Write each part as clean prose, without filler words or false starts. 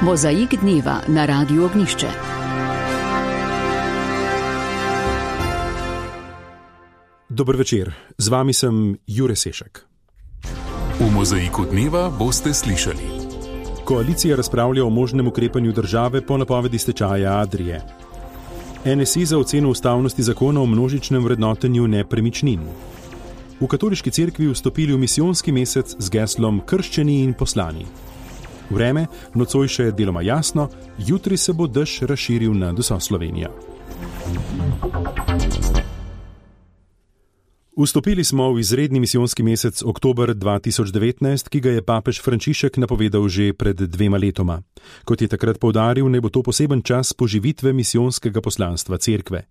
Mozaik dneva na Radiu Ognjišče. Dober večer, z vami sem Jure Sešek. V Mozaiku dneva boste slišali. Koalicija razpravlja o možnem ukrepanju države po napovedi stečaja Adrie. NSI za oceno ustavnosti zakona o množičnem vrednotenju nepremičnin. V katoliški cerkvi vstopili v misijonski mesec z geslom Krščeni in poslani. Vreme nocoj še deloma jasno, jutri se bo dež razširil nad vso Slovenijo. Vstopili smo v izredni misijonski mesec oktober 2019, ki ga je papež Frančišek napovedal že pred 2 letoma. Kot je takrat poudaril, naj bo to poseben čas poživitve misijonskega poslanstva cerkve.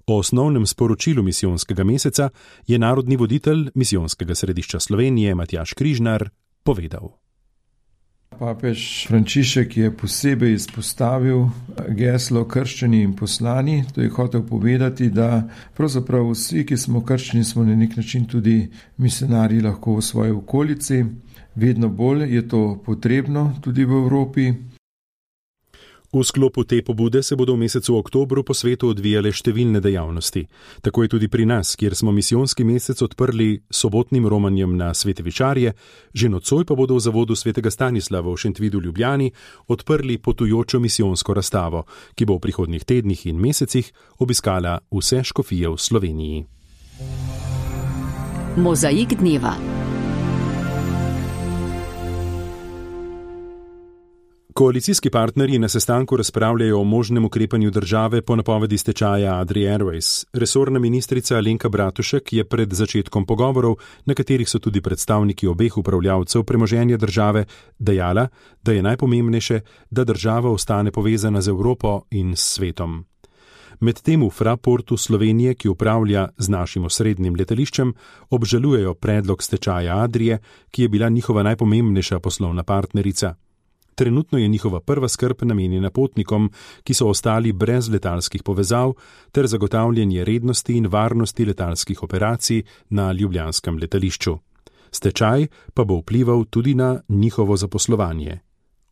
O osnovnem sporočilu misijonskega meseca je narodni voditelj Misijonskega središča Slovenije Matjaž Križnar povedal. Papež Frančišek je posebej izpostavil geslo Krščeni in poslani. To je hotel povedati, da pravzaprav vsi, ki smo krščeni, smo na nek način tudi misionarji lahko v svoji okolici. Vedno bolj je to potrebno tudi v Evropi. V sklopu te pobude se bodo v mesecu oktobru po svetu odvijale številne dejavnosti. Tako je tudi pri nas, kjer smo misijonski mesec odprli sobotnim romanjem na Svete Vičarje, že nocoj pa bodo v zavodu Svetega Stanislava v Šentvidu Ljubljani odprli potujočo misijonsko razstavo, ki bo v prihodnjih tednih in mesecih obiskala vse škofije v Sloveniji. Mozaik dneva. Koalicijski partnerji na sestanku razpravljajo o možnem ukrepanju države po napovedi stečaja Adrie Airways. Resorna ministrica Alenka Bratušek je pred začetkom pogovorov, na katerih so tudi predstavniki obeh upravljavcev premoženja države, dejala, da je najpomembnejše, da država ostane povezana z Evropo in s svetom. Medtem v Fraportu Slovenije, ki upravlja z našim osrednjim letališčem, obžalujejo predlog stečaja Adrie, ki je bila njihova najpomembnejša poslovna partnerica. Trenutno je njihova prva skrb namenjena potnikom, ki so ostali brez letalskih povezav, ter zagotavljanje rednosti in varnosti letalskih operacij na ljubljanskem letališču. Stečaj pa bo vplival tudi na njihovo zaposlovanje.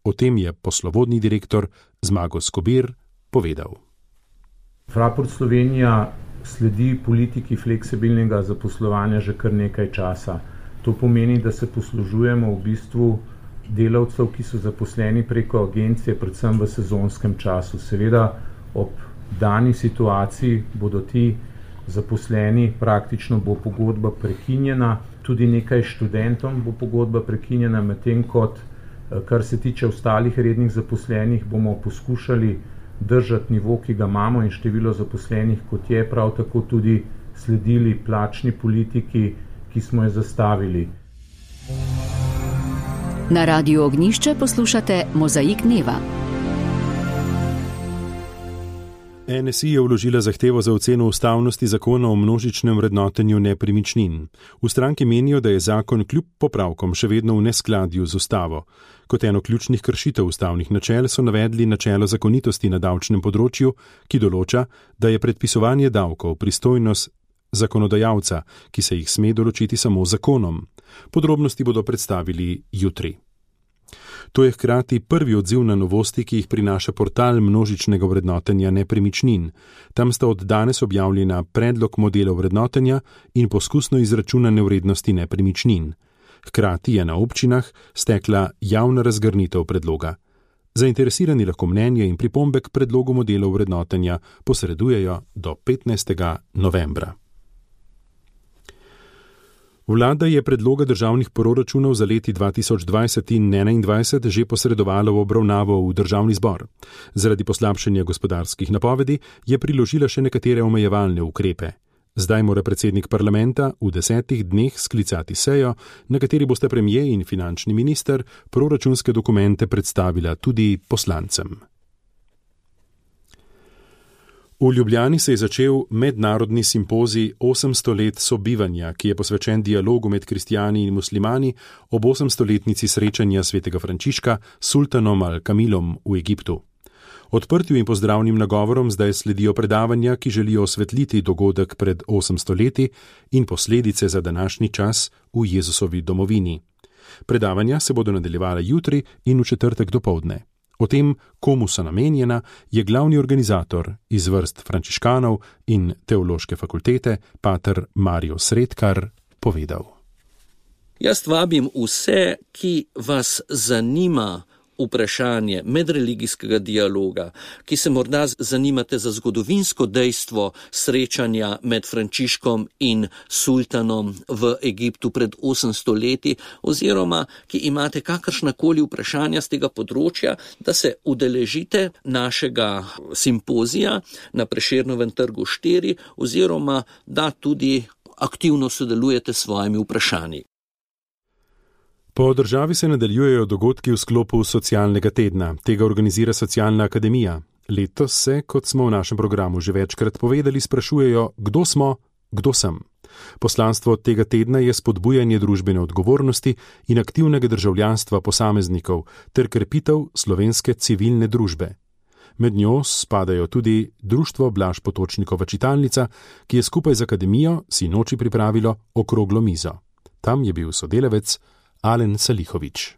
O tem je poslovodni direktor Zmago Skobir povedal. Fraport Slovenija sledi politiki fleksibilnega zaposlovanja že kar nekaj časa. To pomeni, da se poslužujemo v bistvu delavcev, ki so zaposleni preko agencije, predvsem v sezonskem času. Seveda ob dani situaciji bodo ti zaposleni, praktično bo pogodba prekinjena, tudi nekaj študentom bo pogodba prekinjena, medtem kot, kar se tiče ostalih rednih zaposlenih, bomo poskušali držati nivo, ki ga imamo in število zaposlenih, kot je, prav tako tudi sledili plačni politiki, ki smo jo zastavili. Na Radiu Ognjišče poslušate Mozaik dneva. NSI je vložila zahtevo za oceno ustavnosti zakona o množičnem vrednotenju nepremičnin. V stranki menijo, da je zakon kljub popravkom še vedno v neskladju z ustavo. Kot eno ključnih kršitev ustavnih načel so navedli načelo zakonitosti na davčnem področju, ki določa, da je predpisovanje davkov pristojnost zakonodajalca, ki se jih sme določiti samo zakonom. Podrobnosti bodo predstavili jutri. To je hkrati prvi odziv na novosti, ki jih prinaša portal množičnega vrednotenja nepremičnin. Tam sta od danes objavljena predlog modelov vrednotenja in poskusno izračunane vrednosti nepremičnin. Hkrati je na občinah stekla javna razgrnitev predloga. Zainteresirani lahko mnenje in pripombe k predlogu modelov vrednotenja posredujejo do 15. novembra. Vlada je predloga državnih proračunov za leti 2020 in 2021 že posredovala v obravnavo v državni zbor. Zaradi poslabšanja gospodarskih napovedi je priložila še nekatere omejevalne ukrepe. Zdaj mora predsednik parlamenta v 10 dneh sklicati sejo, na kateri bosta premier in finančni minister proračunske dokumente predstavila tudi poslancem. V Ljubljani se je začel mednarodni simpozij 800 let sobivanja, ki je posvečen dialogu med kristijani in muslimani ob 800-letnici srečanja svetega Frančiška s sultanom Al-Kamilom v Egiptu. Odprtju in pozdravnim nagovorom zdaj sledijo predavanja, ki želijo osvetliti dogodek pred 800 leti in posledice za današnji čas v Jezusovi domovini. Predavanja se bodo nadaljevala jutri in v četrtek dopoldne. O tem, komu so namenjena, je glavni organizator iz vrst frančiškanov in teološke fakultete, pater Mario Sredkar, povedal. Jaz vabim vse, ki vas zanima vprašanje medreligijskega dialoga, ki se morda zanimate za zgodovinsko dejstvo srečanja med Frančiškom in sultanom v Egiptu pred 800 leti, oziroma ki imate kakršnakoli vprašanja z tega področja, da se udeležite našega simpozija na Prešernovem trgu 4, oziroma da tudi aktivno sodelujete s svojimi vprašanji. Po državi se nadaljujejo dogodki v sklopu socialnega tedna. Tega organizira Socialna akademija. Letos se, kot smo v našem programu že večkrat povedali, sprašujejo, kdo smo, kdo sem. Poslanstvo tega tedna je spodbujanje družbene odgovornosti in aktivnega državljanstva posameznikov ter krepitev slovenske civilne družbe. Med njo spadajo tudi Društvo Blaž Potočnikova čitalnica, ki je skupaj z akademijo sinoči pripravilo okroglo mizo. Tam je bil sodelavec Alen Salihovič.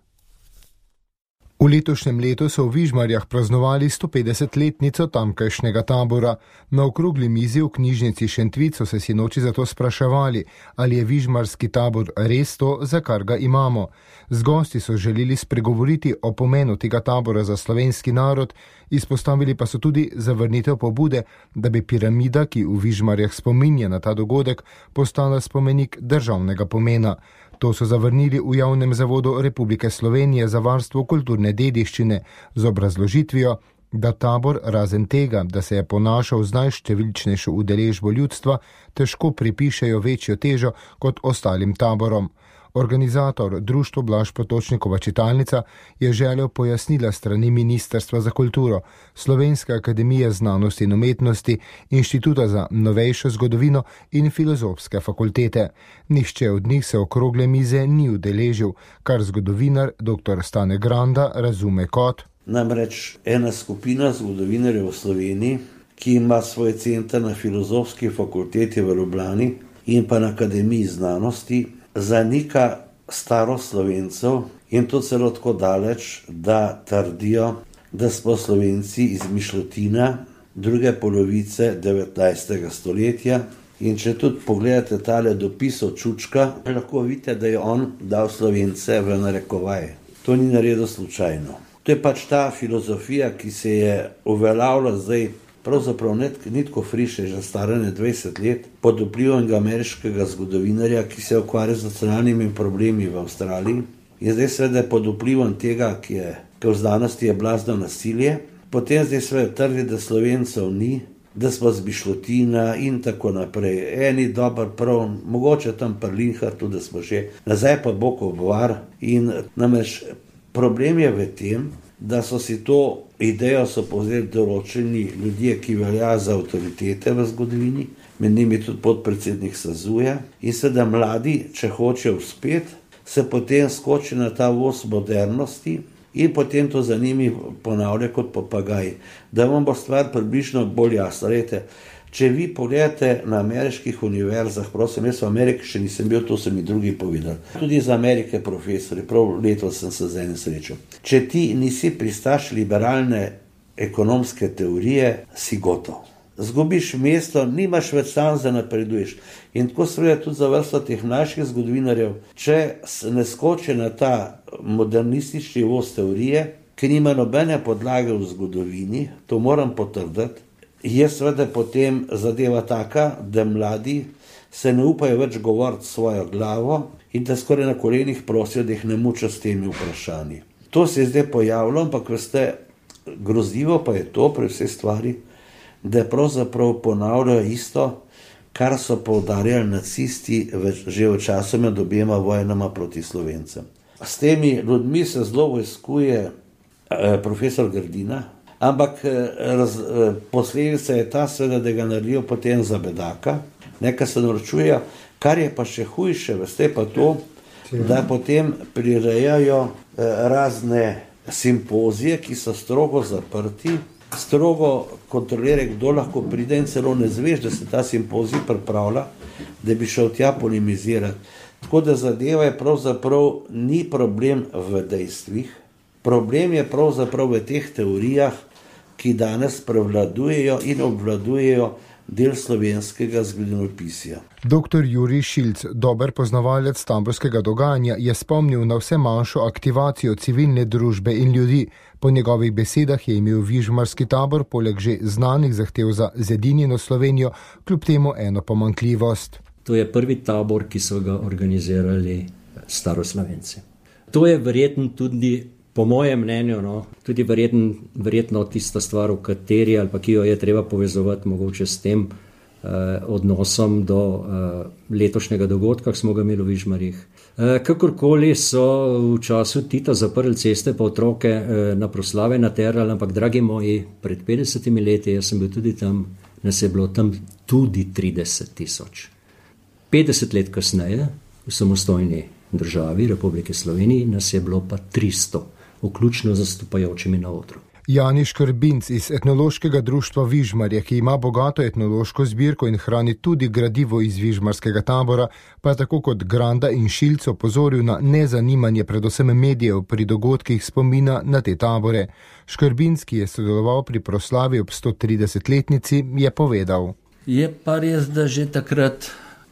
V letošnjem letu so v Vižmarjah praznovali 150-letnico tamkajšnjega tabora. Na okrogli mizi v knjižnici Šentvid so se sinoči zato spraševali, ali je vižmarski tabor res to, za kar ga imamo. Z gosti so želeli spregovoriti o pomenu tega tabora za slovenski narod, izpostavili pa so tudi zavrnitev pobude, da bi piramida, ki v Vižmarjah spominja na ta dogodek, postala spomenik državnega pomena. To so zavrnili v Javnem zavodu Republike Slovenije za varstvo kulturne dediščine z obrazložitvijo, da tabor razen tega, da se je ponašal z najštevilčnejšo udeležbo ljudstva, težko pripišejo večjo težo kot ostalim taborom. Organizator Društvo Blaž Potočnikova čitalnica je želel pojasnila strani Ministrstva za kulturo, Slovenske akademije znanosti in umetnosti, Inštituta za novejšo zgodovino in Filozofske fakultete. Nihče od njih se okrogle mize ni udeležil, kar zgodovinar dr. Stane Granda razume kot. Namreč ena skupina zgodovinarjev v Sloveniji, ki ima svoj center na Filozofski fakulteti v Ljubljani in pa na Akademiji znanosti, zanika starost Slovencev in to celo tako daleč, da trdijo, da smo Slovenci izmišljotina druge polovice 19. stoletja. In če tudi pogledate tale dopis od Čučka, lahko vidite, da je on dal Slovence v narekovaj. To ni naredil slučajno. To je pač ta filozofija, ki se je uveljavila zdaj, pravzaprav ni tako friše, že starane 20 let, pod vplivom ameriškega zgodovinarja, ki se ukvarja z nacionalnimi problemi v Avstraliji. In zdaj seveda pod vplivom tega, ki v znanosti je blazno nasilje, potem zdaj seveda trdi, da Slovencev ni, da smo zmišljotina in tako naprej. Eni dober prav, mogoče tam pri Linhartu, da smo že nazaj pa Bokov bar. In namreč problem je v tem, da so si to idejo povzeli določeni ljudje, ki velja za avtoritete v zgodovini, med njimi tudi podpredsednik Sazuja. In seveda mladi, če hočejo uspeti, se potem skoči na ta voz modernosti in potem to za njimi ponavlja kot papagaj. Da vam bo stvar približno bolj jasna. Če vi pogledate na ameriških univerzah, prosim, jaz v Ameriki še nisem bil, to so mi drugi povedali. Tudi iz Amerike profesori, prav letos sem se z enim srečal. Če ti nisi pristaš liberalne ekonomske teorije, si gotov. Zgubiš mesto, nimaš več šanse, da napreduješ. In tako seveda tudi za vrsto teh naših zgodovinarjev, če ne skoči na ta modernistični voz teorije, ki nima nobene podlage v zgodovini, to moram potrditi, je seveda potem zadeva taka, da mladi se ne upajo več govoriti svojo glavo in da skoraj na kolenih prosijo, da jih ne muča s temi vprašanji. To se je zdaj pojavilo, ampak veste, grozljivo pa je to pri vsej stvari, da pravzaprav ponavljajo isto, kar so poudarjali nacisti že v času med obema vojnama proti Slovencem. S temi ljudmi se zelo vojskuje profesor Grdina, ampak posledica je ta seveda, da ga naredijo potem za bedaka, nekaj se naročujejo, kar je pa še hujše, veste pa to, da potem prirejajo razne simpozije, ki so strogo zaprti, strogo kontrolirajo, kdo lahko pride in celo ne zveš, da se ta simpozij pripravlja, da bi šel tja polemizirati. Tako da zadeva je pravzaprav ni problem v dejstvih, Problem je pravzaprav v teh teorijah, ki danes prevladujejo in obvladujejo del slovenskega zgodovinopisja. Dr. Jurij Šilc, dober poznavalec taborskega dogajanja, je spomnil na vse manjšo aktivacijo civilne družbe in ljudi. Po njegovih besedah je imel Vižmarski tabor poleg že znanih zahtev za zedinjeno Slovenijo kljub temu eno pomanjkljivost. To je prvi tabor, ki so ga organizirali staroslovenci. To je verjetno tudi, po mojem mnenju, tudi verjetno tista stvar, v kateri ali pa ki jo je treba povezovati mogoče s tem odnosom do letošnjega dogodka, ki smo ga imeli v Vižmarjih. Kakorkoli so v času Tita zaprli ceste pa otroke na proslave naterali, ampak dragi moji, pred 50 leti, jaz sem bil tudi tam, nas je bilo tam tudi 30,000. 50 let kasneje, v samostojni državi Republike Slovenije, nas je bilo pa 300, vključno zastopajočimi na odru. Jani Škrbinc iz etnološkega društva Vižmarje, ki ima bogato etnološko zbirko in hrani tudi gradivo iz Vižmarskega tabora, pa je tako kot Granda in Šilc opozoril na nezanimanje predvsem medijev pri dogodkih spomina na te tabore. Škrbinc, ki je sodeloval pri proslavi ob 130-letnici, je povedal. Je pa res, da že takrat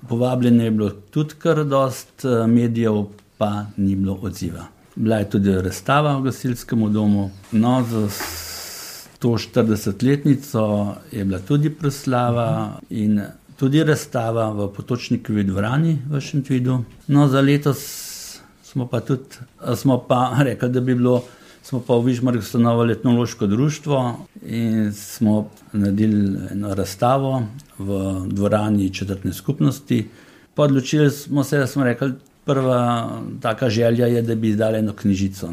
povabljeno je bilo tudi kar dost medijev, pa ni bilo odziva. Bila je tudi razstava v gasilskem domu. No, za 140-letnico je bila tudi proslava in tudi razstava v Potočnikovi dvorani v Šentvidu. No, za letos smo pa rekli, da bi bilo, smo pa v Vižmarjih ustanovili etnološko društvo in smo naredili eno razstavo v dvorani četrtne skupnosti. Odločili smo se, da smo rekli, prva taka želja je, da bi izdali eno knjižico.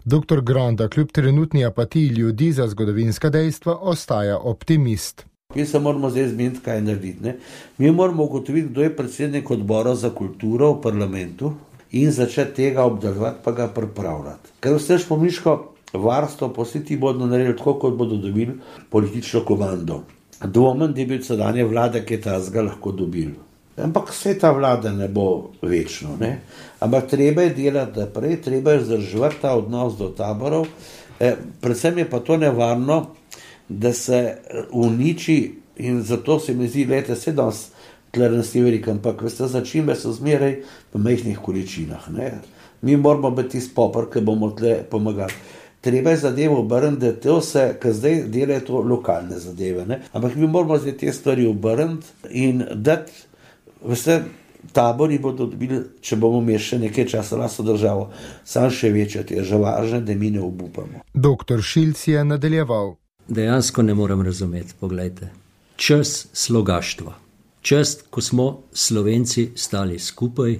Dr. Granda kljub trenutni apatiji ljudi za zgodovinska dejstva ostaja optimist. Mi se moramo zdaj zmeniti, kaj narediti. Mi moramo ugotoviti, kdo je predsednik odbora za kulturo v parlamentu in začeti tega obdelovati, pa ga pripravljati. Ker vse špomniško varstvo, pa vsi ti bodo naredili tako, kot bodo dobili politično komando. Dvomim, da bi od sedanje vlade, ki je tazga lahko dobili. Ampak vse ta vlada ne bo večno. Ampak treba je delati naprej, treba je vzdrževati ta odnos do taborov. Predvsem je pa to nevarno, da se uniči in zato se mi zdi, gledajte, vse danes tle nas ni veliko, ampak veste, začimbe so zmeraj v majhnih količinah. Mi moramo biti tisti popor, ki bomo tle pomagali. Treba je zadevo obrniti, da to se, ker zdaj delajo to lokalne zadeve, ampak mi moramo zdaj te stvari obrniti in dati. Veste, tabori bodo dobili, če bomo imeli še nekaj časa lastno državo, sam še večje težave, da mi ne obupamo. Dr. Šilc je nadaljeval. Dejansko ne morem razumeti, poglejte. Čas slogaštva, čas, ko smo Slovenci stali skupaj,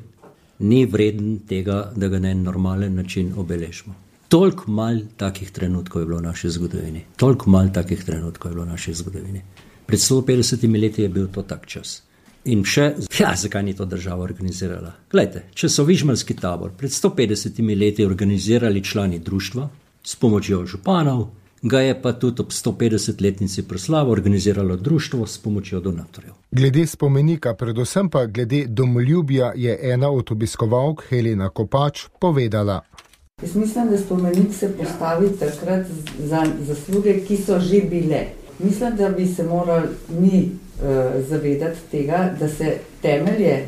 ni vreden tega, da ga na en normalen način obeležimo. Toliko malo takih trenutkov je bilo v naši zgodovini. Pred 150 leti je bil to tak čas. In še, zakaj ni to država organizirala? Glejte, če so Vižmarski tabor pred 150 leti organizirali člani društva s pomočjo županov, ga je pa tudi ob 150-letnici proslave organiziralo društvo s pomočjo donatorjev. Glede spomenika, predvsem pa glede domoljubja, je ena od obiskovalk, Helena Kopač, povedala. Jaz mislim, da spomenik se postavi takrat za zasluge, ki so že bile. Mislim, da bi se morali mi zavedati tega, da se temelje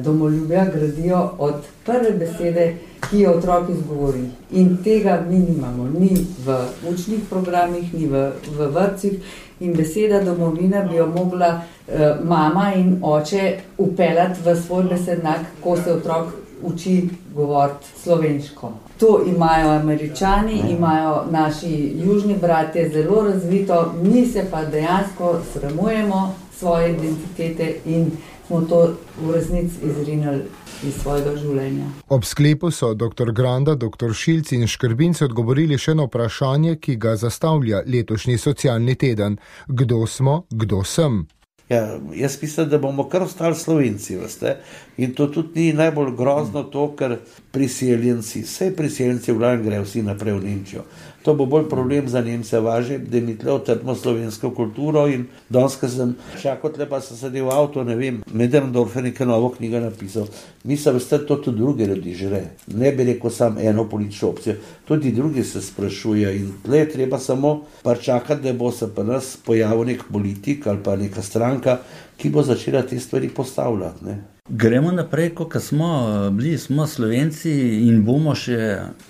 domoljubja gradijo od prve besede, ki jo otrok izgovori. In tega mi nimamo, ni v učnih programih, ni v vrtcih. In beseda domovina bi jo mogla mama in oče upeljati v svoj besednjak, ko se otrok uči govoriti slovensko. To imajo Američani, imajo naši južni bratje zelo razvito, mi se pa dejansko sramujemo svoje identitete in smo to v resnici izrinili iz svojega življenja. Ob sklepu so dr. Granda, dr. Šilc in Škrbinc odgovorili še na vprašanje, ki ga zastavlja letošnji socialni teden. Kdo smo, kdo sem? Ja, jaz mislim, da bomo kar ostali Slovenci, veste. In to tudi ni najbolj grozno to, ker priseljenci v glavnem grejo vsi naprej v Nemčijo. To bo bolj problem za Nemce važe, da mi tle otrpimo slovensko kulturo in danes, ko sem čakal tle, pa sem sedel v avto, ne vem, Medendorfer neka novo knjigo napisal. Mislim, da to tudi drugi ljudi žele. Ne bi rekel sam eno politično opcijo, tudi drugi se sprašuje in tle je treba samo čakati, da bo se pa nas pojavil nek politik ali pa neka stranka, ki bo začela te stvari postavljati, ne. Gremo naprej, kot smo Slovenci in bomo še,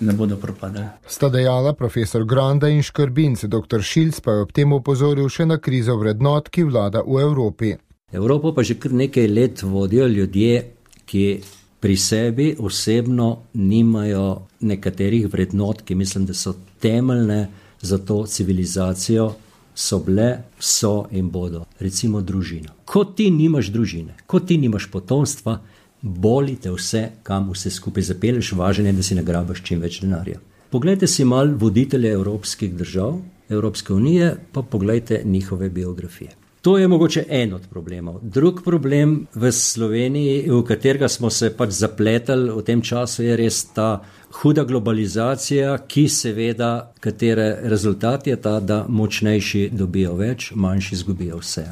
ne bodo propadali. Sta dejala profesor Granda in Škrbinc, dr. Šilc pa je ob tem opozoril še na krizo vrednot, ki vlada v Evropi. Evropo pa že kar nekaj let vodijo ljudje, ki pri sebi osebno nimajo nekaterih vrednot, ki mislim, da so temeljne za to civilizacijo, so bile, so in bodo. Recimo družina. Ko ti nimaš družine, ko ti nimaš potomstva, boli te vse, kam vse skupaj zapelješ, važno je, da si nagrabaš čim več denarja. Poglejte si mal voditelje evropskih držav, Evropske unije, pa poglejte njihove biografije. To je mogoče en od problemov. Drug problem v Sloveniji, v katerega smo se pač zapletali v tem času, je res ta huda globalizacija, ki seveda, katere rezultat je ta, da močnejši dobijo več, manjši izgubijo vse.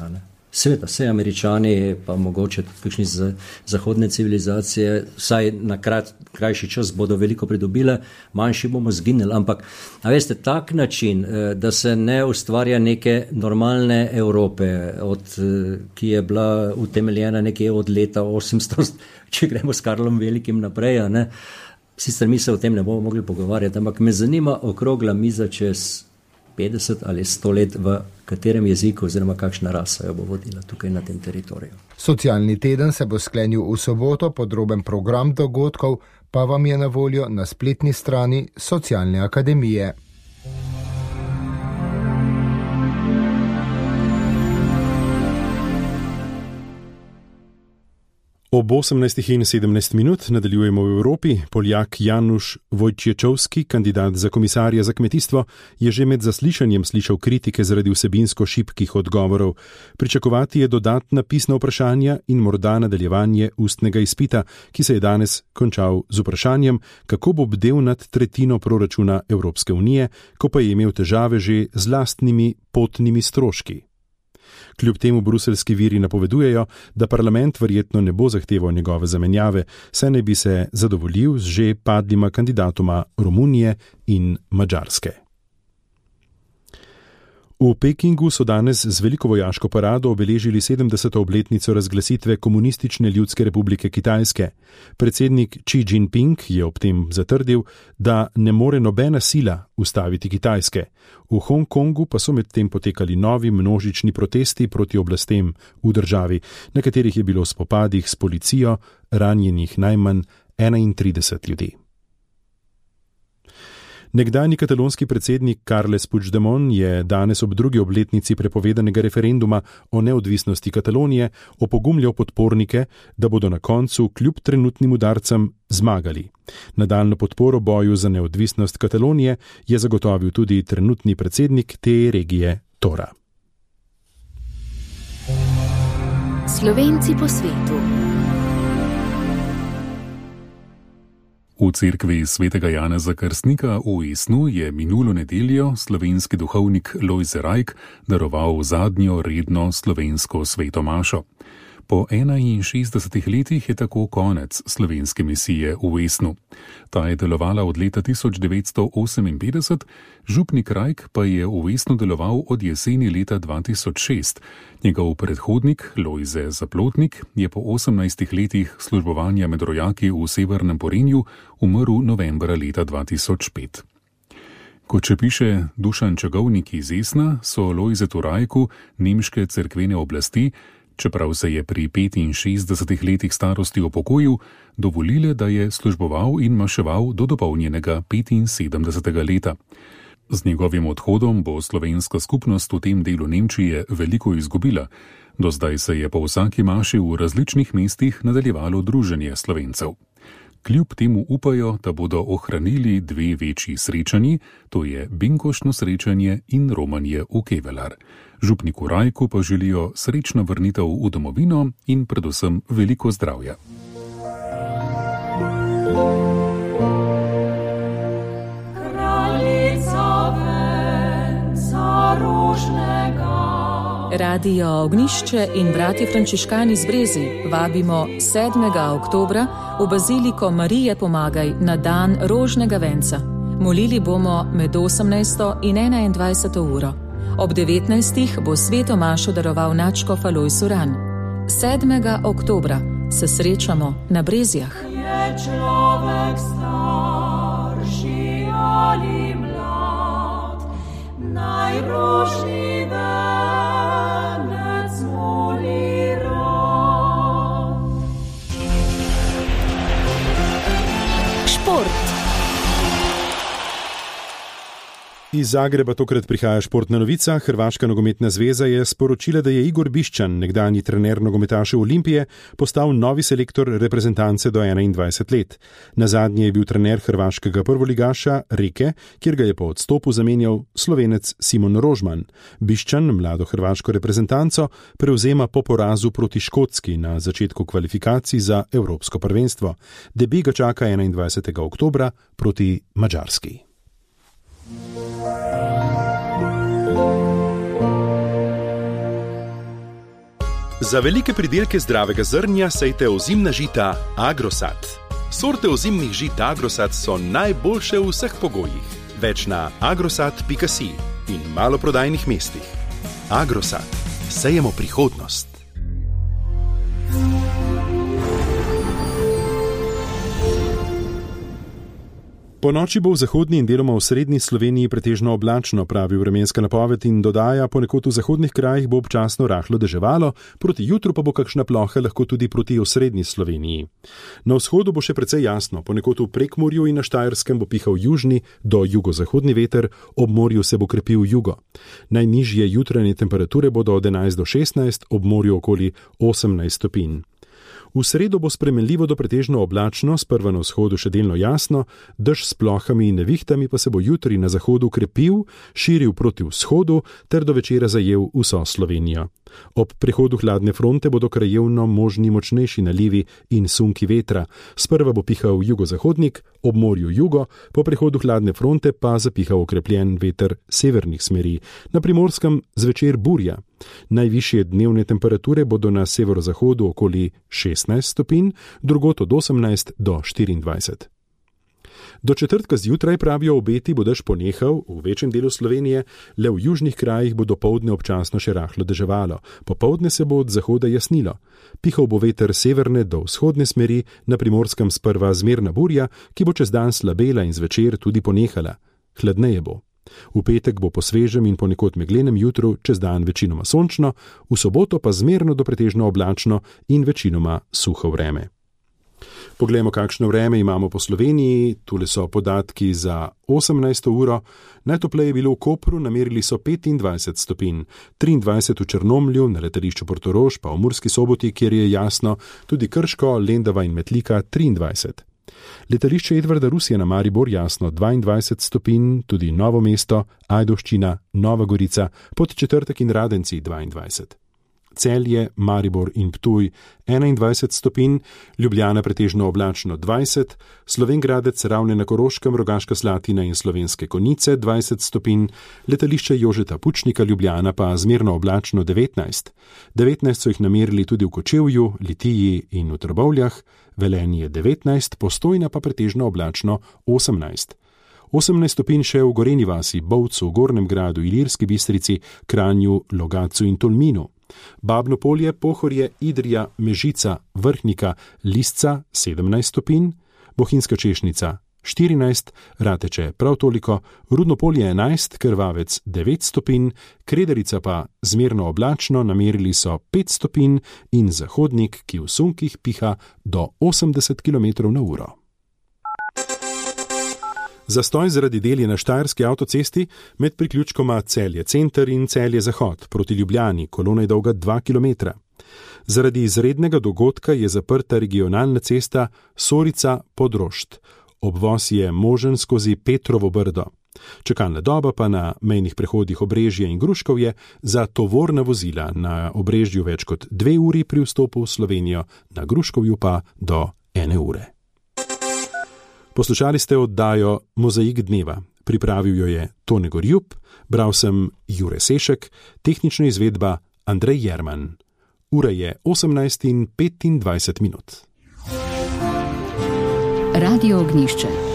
Seveda, vse Američani, pa mogoče tudi kakšni zahodne civilizacije, vsaj na krajši čas bodo veliko pridobile, manjši bomo zginili, ampak, a veste, tak način, da se ne ustvarja neke normalne Evrope, ki je bila utemeljena nekje od leta 800, če gremo s Karlom Velikim naprej, ne? Sicer mi se o tem ne bomo mogli pogovarjati, ampak me zanima okrogla miza čez 50 ali 100 let, v katerem jeziku oziroma kakšna rasa jo bo vodila tukaj na tem teritoriju. Socialni teden se bo sklenil v soboto, podroben program dogodkov pa vam je na voljo na spletni strani Socialne akademije. Ob 18:17 nadaljujemo v Evropi. Poljak Janusz Wojciechowski, kandidat za komisarja za kmetijstvo, je že med zaslišanjem slišal kritike zaradi vsebinsko šibkih odgovorov. Pričakovati je dodatna pisna vprašanja in morda nadaljevanje ustnega izpita, ki se je danes končal z vprašanjem, kako bo bdel nad tretjino proračuna Evropske unije, ko pa je imel težave že z lastnimi potnimi stroški. Kljub temu bruseljski viri napovedujejo, da parlament verjetno ne bo zahteval njegove zamenjave, saj ne bi se zadovoljil z že padlima kandidatoma Romunije in Madžarske. V Pekingu so danes z veliko vojaško parado obeležili 70. obletnico razglasitve Komunistične ljudske republike Kitajske. Predsednik Xi Jinping je ob tem zatrdil, da ne more nobena sila ustaviti Kitajske. V Hongkongu pa so medtem potekali novi množični protesti proti oblastem v državi, na katerih je bilo v spopadih s policijo ranjenih najmanj 31 ljudi. Nekdanji katalonski predsednik Carles Puigdemont je danes ob drugi obletnici prepovedanega referenduma o neodvisnosti Katalonije opogumljal podpornike, da bodo na koncu kljub trenutnim udarcem zmagali. Nadaljnjo podporo boju za neodvisnost Katalonije je zagotovil tudi trenutni predsednik te regije Tora. Slovenci po svetu. V cerkvi svetega Janeza Krstnika v Esnu je minulo nedeljo slovenski duhovnik Lojze Rajk daroval zadnjo redno slovensko sveto mašo. Po 61 letih je tako konec slovenske misije v Esnu. Ta je delovala od leta 1958, župnik Rajk pa je v Esnu deloval od jeseni leta 2006. Njegov predhodnik Lojze Zaplotnik je po 18 letih službovanja med rojaki v Severnem Porenju umrl novembra leta 2005. Kot še piše Dušan Čagovnik iz Esna, so Lojzetu Rajku nemške cerkvene oblasti, čeprav se je pri 65 letih starosti upokojil, dovolile, da je služboval in maševal do dopolnjenega 75. leta. Z njegovim odhodom bo slovenska skupnost v tem delu Nemčije veliko izgubila. Do zdaj se je po vsaki maši v različnih mestih nadaljevalo druženje Slovencev. Kljub temu upajo, da bodo ohranili dve večji srečanji, to je binkoštno srečanje in romanje v Kevelar. Župniku Rajku pa želijo srečno vrnitev v domovino in predvsem veliko zdravja. Radio Ognjišče in Bratje Frančiškani z Brezi vabimo 7. oktobra v Baziliko Marije Pomagaj na dan rožnega venca. Molili bomo med 18. in 21. uro. Ob 19. bo sveto mašo daroval nadškof Alojz Uran. 7. oktobra se srečamo na Brezjah. Je človek starši ali mlad, najrožni venec moli rad. Šport. Iz Zagreba tokrat prihaja športna novica. Hrvaška nogometna zveza je sporočila, da je Igor Bišćan, nekdanji trener nogometašev Olimpije, postal novi selektor reprezentance do 21 let. Nazadnje je bil trener hrvaškega prvoligaša Rijeke, kjer ga je po odstopu zamenjal Slovenec Simon Rožman. Bišćan mlado hrvaško reprezentanco prevzema po porazu proti Škotski na začetku kvalifikacij za Evropsko prvenstvo. Debi ga čaka 21. oktobra proti Madžarski. Za velike pridelke zdravega zrnja sejte ozimna žita Agrosat. Sorte ozimnih žit Agrosat so najboljše v vseh pogojih. Več na agrosat.si in maloprodajnih mestih. Agrosat. Sejemo prihodnost. Po noči bo v zahodni in deloma v srednji Sloveniji pretežno oblačno, pravi vremenska napoved in dodaja, ponekod v zahodnih krajih bo občasno rahlo deževalo, proti jutru pa bo kakšna ploha lahko tudi proti osrednji Sloveniji. Na vzhodu bo še precej jasno, ponekod v Prekmurju in na Štajerskem bo pihal južni do jugozahodni veter, ob morju se bo krepil jugo. Najnižje jutranje temperature bodo od 11 do 16, ob morju okoli 18 stopinj. V sredo bo spremenljivo do pretežno oblačno, sprva na vzhodu še delno jasno, dež s plohami in nevihtami pa se bo jutri na zahodu krepil, širil proti vzhodu ter do večera zajel vso Slovenijo. Ob prehodu hladne fronte bodo krajevno možni močnejši nalivi in sunki vetra. Sprva bo pihal jugozahodnik, ob morju jugo, po prehodu hladne fronte pa zapihal okrepljen veter severnih smeri. Na Primorskem zvečer burja. Najvišje dnevne temperature bodo na severozahodu okoli 16 stopinj, drugod od 18 do 24. Do četrtka zjutraj, pravijo obeti, bo dež ponehal v večjem delu Slovenije, le v južnih krajih bo dopoldne občasno še rahlo deževalo. Popoldne se bo od zahoda jasnilo. Pihal bo veter severne do vzhodne smeri, na Primorskem sprva zmerna burja, ki bo čez dan slabela in zvečer tudi ponehala. Hladneje bo. V petek bo po svežem in ponekod meglenem jutru čez dan večinoma sončno, v soboto pa zmerno do pretežno oblačno in večinoma suho vreme. Poglejmo, kakšno vreme imamo po Sloveniji. Tule so podatki za 18. uro. Najtopleje je bilo v Kopru, namerili so 25 stopinj, 23 v Črnomlju, na letališču Portorož, pa v Murski Soboti, kjer je jasno, tudi Krško, Lendava in Metlika 23. Letališče Edvarda Rusija na Maribor jasno 22 stopinj, tudi Novo mesto, Ajdovščina, Nova Gorica, Podčetrtek in Radenci 22. Celje, Maribor in Ptuj 21 stopinj, Ljubljana pretežno oblačno 20, Slovengradec, Ravne na Koroškem, Rogaška Slatina in Slovenske Konjice 20 stopinj, letališče Jožeta Pučnika Ljubljana pa zmerno oblačno 19. 19 so jih namerili tudi v Kočevju, Litiji in v Trbovljah, Velenje 19, Postojna pa pretežno oblačno 18. 18 stopinj še v Gorenji vasi, Bovcu, Gornjem gradu, Ilirski Bistrici, Kranju, Logatcu in Tolminu. Babno Polje, Pohorje, Idrija, Mežica, Vrhnika, Lisca 17 stopinj, Bohinjska Češnica 14, Rateče prav toliko, Rudno Polje 11, Krvavec 9 stopinj, Krederica pa zmerno oblačno, namerili so 5 stopinj in Zahodnik, ki v sunkih piha do 80 km/h. Zastoj zaradi del je na Štajerski avtocesti med priključkoma Celje center in Celje zahod proti Ljubljani, kolona je dolga 2 km. Zaradi izrednega dogodka je zaprta regionalna cesta Sorica-Podrošt. Obvoz je možen skozi Petrovo Brdo. Čakalna doba pa na mejnih prehodih Obrežje in Gruškovje za tovorna vozila, na Obrežju več kot 2 uri pri vstopu v Slovenijo, na Gruškovju pa do 1 ure. Poslušali ste oddajo Mozaik dneva. Pripravil jo je Tone Gorjup, bral sem Jure Sešek, tehnična izvedba Andrej Jerman. Ura je 18:25. Radio Ognišče.